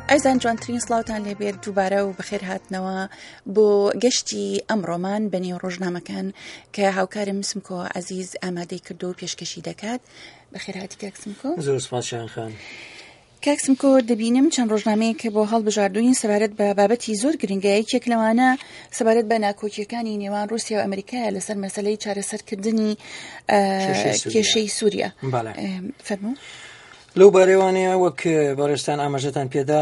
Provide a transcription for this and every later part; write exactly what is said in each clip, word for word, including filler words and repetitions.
ئازیزان، جوانترین سڵاوتان لێبێت. دووبارە و بەخێر هاتنەوە بۆ گەشتی ئەمڕۆمان بە نێو ڕۆژنامەکان کە هاوکارم سمکۆ عەزیز ئامادەی کردو و پێشکەشی دەکات. بەخێرهاتی کاک سمکۆ. زۆر سپاس شایان خان. کاک سمکۆ، دەبینم چەند ڕۆژنامەیەک کە بۆ هەڵبژاردوین سەبارەت بە بابەتی زۆر گرنگە. یەکێک لەوانە سەبارەت بە ناکۆکیەکانی نێوان رووسیا و ئەمریکایە لەسەر مەسلەی چارەسەرکردنی کێشەی سووریا. فەرموو. لەو بارەوانەیە وەک بەڕێزتان ئاماژەتان پێدا،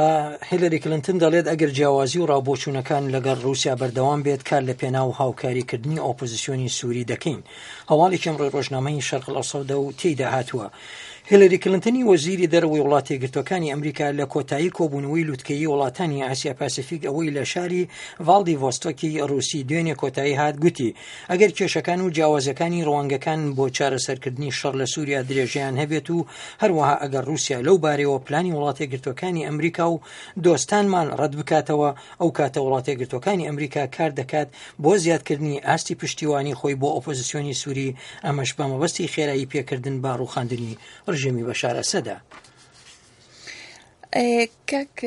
هیلری کلنتن دەڵێت ئەگەر جیاوازی و ڕاوبۆچوونەکان لەگەڵ رووسیا بەردەوام بێت، کار لە پێناو هاوکاریکردنی ئۆپۆزیسیۆنی سووری دەکەین. هەواڵێکی ئەمڕۆی ڕۆژنامەی شەرق ئەوسەدە و تێیدا هاتووە. هیلری کلنتنی وەزیری دەرەوەی وڵاتە یەکگرتووەکانی ئەمریکا لە کۆتایی کۆبوونەوەی لوتکەیی وڵاتانی ئاسیا پاسیفیک ئەوەی لە شاری ڤاڵدیڤۆستۆکی ڕووسی دوێنێ کۆتایی هات، گوتی ئەگەر کێشەکان و جیاوازەکانی ڕوانگەکان بۆ چارەسەرکردنی شەڕ لە سووریا درێژەیان هەبێت و هەروەها ئەگەر رووسیا لەو بارەیەوە پلانی وڵاتە یەکگرتووەکانی ئەمریکا و دۆستانمان ڕەت بکاتەوە، ئەو کاتە وڵاتە یەکگرتووەکانی ئەمریکا کار دەکات بۆ زیادکردنی ئاستی پشتیوانی خۆی بۆ ئۆپۆزیسیۆنی سووری، ئەمەش بە مەبەستی خێرایی پێکردن بە ڕووخاندنی ڕژێمی بەشار ئەسەدە. کاک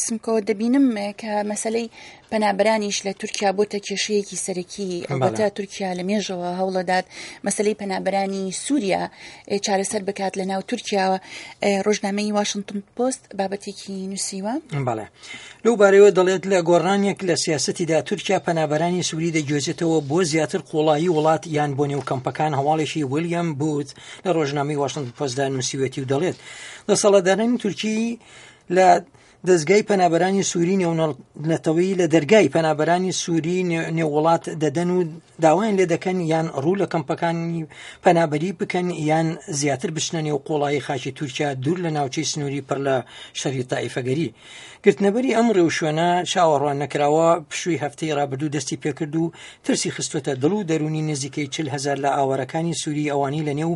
سمکۆ، دەبینم کە مەسلەی پەنابەرانیش لە تورکیا بۆتە کێشەیەکی سەرەکی. ئەلبەتە تورکیا لە مێژەوە هەوڵەدات مەسلەی پەنابەرانی سووریا چارەسەر بکات لە ناو تورکیاوە. ڕۆژنامەی واشنگتن پۆست بابەتێکی نووسیوە. بەڵێ، لەو بارەیەوە دەڵێت لە گۆڕانێک لە سیاسەتیدا تورکیا پەنابەرانی سووری دەگوێزێتەوە بۆ زیاتر قوڵایی وڵات یان بۆ نێو کەمپەکان. هەواڵێکی ویلیام بوت لە ڕۆژنامەی واشنگتن پۆستدا نووسیوەتی و دەڵێت دەسەڵاتدارانی تورکی لە دەستگای پەنابەرانی سووری نێونەتەوەی لە دەرگای پەنابەرانی سووری نێووڵات دەدەن و داوایان لێ دەکەن یان ڕوو لە کەمپەکانی پەنابەری بکەن یان زیاتر بچنە نێو قوڵایی خاکی تورکیا دوور لە ناوچەی سنووری پڕ لە شەڕی تائیفەگەری. گرتنەبەری ئەم ڕێوشوێنە چاوەڕوان نەکراوە پشووی هەفتەی ڕابردوو دەستی پێکرد و ترسی خستووەتە دڵ و دەرونی نزیکەی چل هەزار لە ئاوارەکانی سووری ئەوانی لە نێو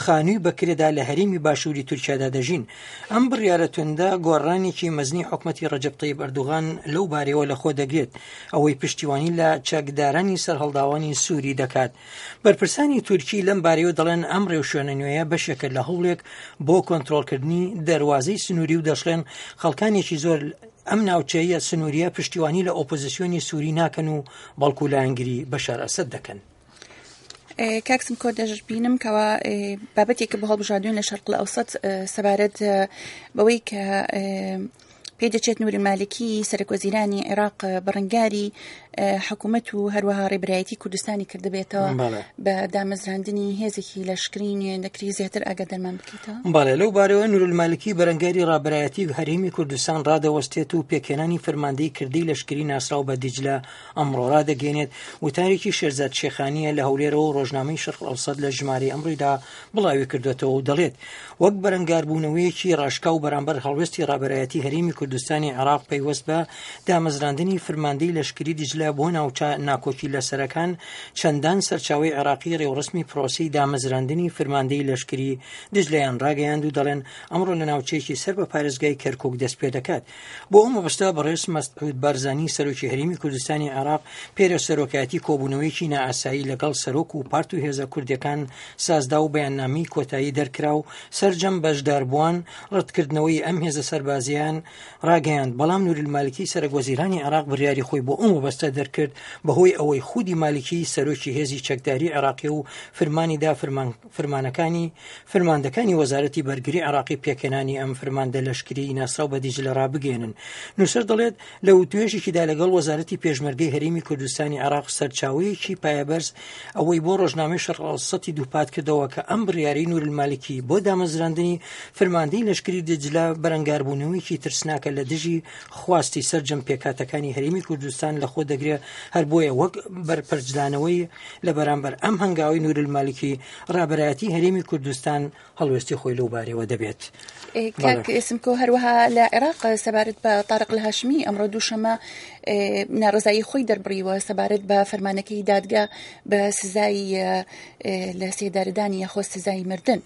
خانووی بەکرێدا لە هەرێمی باشووری تورکیادا دەژین. ئەم بڕیارە توندە گۆڕانێکی مەزنی حکومەتی ڕەجەب تەیب ئەردوغان لەو بارەیەوە لەخۆ دەگرێت، ئەوەی پشتیوانی لە چەکدارانی سەرهەڵداوانی سووری دەکات. بەرپرسانی تورکی لەم بارەیەوە دەڵێن ئەم ڕێوشوێنە نوێیە بەشێکە لە هەوڵێک بۆ کۆنترۆڵکردنی دەروازەی سنووری و دەشڵێن خەڵکانێکی زۆر ئەم ناوچەیە سنووریە پشتیوانی لە ئۆپۆزیسیۆنی سووری ناکەن و بەڵکو لایەنگری بەشار ئەسەد دەکەن. کاک سمکۆ، دەشبینم کەوا بابەتێکە بۆ هەڵبژاردوین لە شەرق ئەوسەت سەبارەت بەوەی کە پێ دەچێت نوری مالکی سەرۆک وەزیرانی عێراق بەڕەنگاری حکوومەت و هەروەها ڕێبەرایەتی کوردستانی کردبێتەوە بە دامەزراندنی هێزێکی لەشکری نوێ. دەکری زیاتر ئاگادارمان بکەیتەوە؟ بەڵێ، لەو بارەوە نورالمالکی بەرەنگاری ڕابەرایەتی هەرێمی کوردستان ڕادەوەستێت و پێکهێنانی فەرماندەی کردەی لەشکری ناسراو بە دیجلە ئەمڕۆ ڕادەگەێنێت. وتارێکی شێرزاد شێخانیە لە هەولێرەوە ڕۆژنامەی شەرق ئەوسەت لە ژمارەی ئەمڕۆیدا بڵاوی کردوێتەوە و دەڵێت وەک بەرەنگاربوونەوەیەکی ڕاشکاو بەرامبەر هەڵوێستی ڕابەرایەتی هەرێمی کوردستانی عێراق پەیوەست بە دامەزراندنی فرماندەی لەشکری دیجلە بۆ ناوچە ناکۆکی لەسەرەکان، چەندان سەرچاوەی عێراقی ڕێوڕسمی پرۆسەی دامەزراندنی فرماندەی لەشکری دیجلەیان ڕاگەیاند و دەڵێن ئەمڕۆ لە ناوچەیەکی سەر بە پارێزگای کەرکوک دەست پێ دەکات. بۆ ئەو مەبەستە بەڕێز مەسعود بارزانی سەرۆکی هەرێمی کوردستانی عێراق پێرە سەرۆکایەتی کۆبوونەوەیەکی نائاسایی لەگەڵ سەرۆک و پارت و هێزە کوردیەکان سازدا و بەیاننامەی کۆتایی دەرکرا و سەرجەم بەشداربووان ڕەتکردنەوەی ئەم هێزە سەربازیان ڕاگەیاند. بەڵام نورالمالکی سەرۆک وەزیرانی عێراق بڕیاری خۆی بۆ ئەو مەبەستە دەرکرد بەهۆی ئەوەی خودی مالکی سەرۆکی هێزی چەکداری عێراقی و فرمانیدا فرمانەکانی فرماندەکانی وەزارەتی بەرگری عێراقی پێکهێنانی ئەم فرماندە لەشکری ناسراو بە دیجلە ڕابگەێنن. نووسەر دەڵێت لە وتوێژێکیدا لەگەڵ وەزارەتی پێشمەرگەی هەرێمی کوردستانی عێراق سەرچاوەیەکی پایەبەرز ئەوەی بۆ ڕۆژنامەی شەرق ئەوسەتی دووپات کردەوە کە ئەم بڕیاری نورالمالکی بۆ دامەزراندنی فرماندەی لەشکری دیجلە بەرەنگاربوونەوەیەکی ترسناکە لە دژی خواستی سەرجەم پێکهاتەکانی هەرێمی کوردستان لەخۆ دەگرێت. هەر بۆیە وەک بەرپەرچدانەوەی لە بەرامبەر ئەم هەنگاوی نورالمالکی ڕابەرایەتی هەرێمی کوردستان هەڵوێستی خۆی لەو بارەوە دەبێت. کاک سمکۆ، هەروەها لە عێراق سەبارەت بە تارق الهاشمی ئەمڕۆ دووشەمە ناڕەزایی خۆی دەربڕیوە سەبارەت بە فەرمانەکەی دادگا بە سزای لە سێدارەدانی یاخۆ سزای مردن.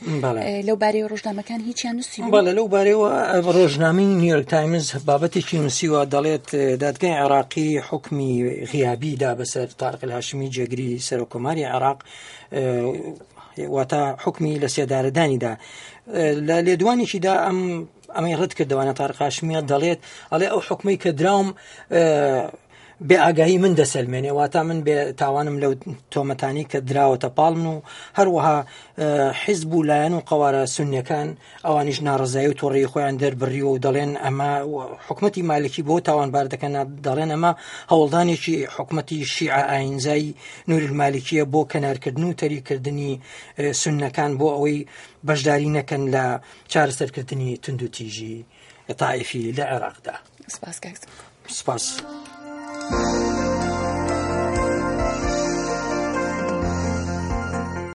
لەو بارەیەوە ڕۆژنامەکان هیچیان نووسیوە؟ بەڵێ، لەو بارەیەوە ڕۆژنامەی نیویۆرک تایمز بابەتێکی نووسیوە، دەڵێت دادگای عێراقی حکمی غیابی دا بەسەر تارق الهاشمی جێگری سەرۆککۆماری عێراق، واتە حکمی لە سێدارەدانیدا. لە لێدوانێکیدا ئەم ئەمەی ڕەت کردەوانە. تارق هاشمیە دەڵێت ئەڵێ ئەو حکومەی کە دراوم بێ ئاگاهی من دەسەلمێنێ، واتا من بێ تاوانم لەو تۆمەتانی کە دراوەتە پاڵن و هەروەها حیزب و لایەن و قەوارە سونیەکان ئەوانیش ناڕزایی و تۆڕی خۆیان دەربڕیوە و دەڵێن ئەمە حکومەتی مالکی بۆ تاوانبار دەکەن، دەڵێن ئەمە هەوڵدانێکی حکومەتی شیعە ئاینزای نوری المالکیە بۆ کەنارکردن و تەریکردنی سوننەکان بۆ ئەوەی بەشداری نەکەن لە چارەسەرکردنی توندوتیژی تائیفی لە عێراقدا. سپاس کاک. سپاس.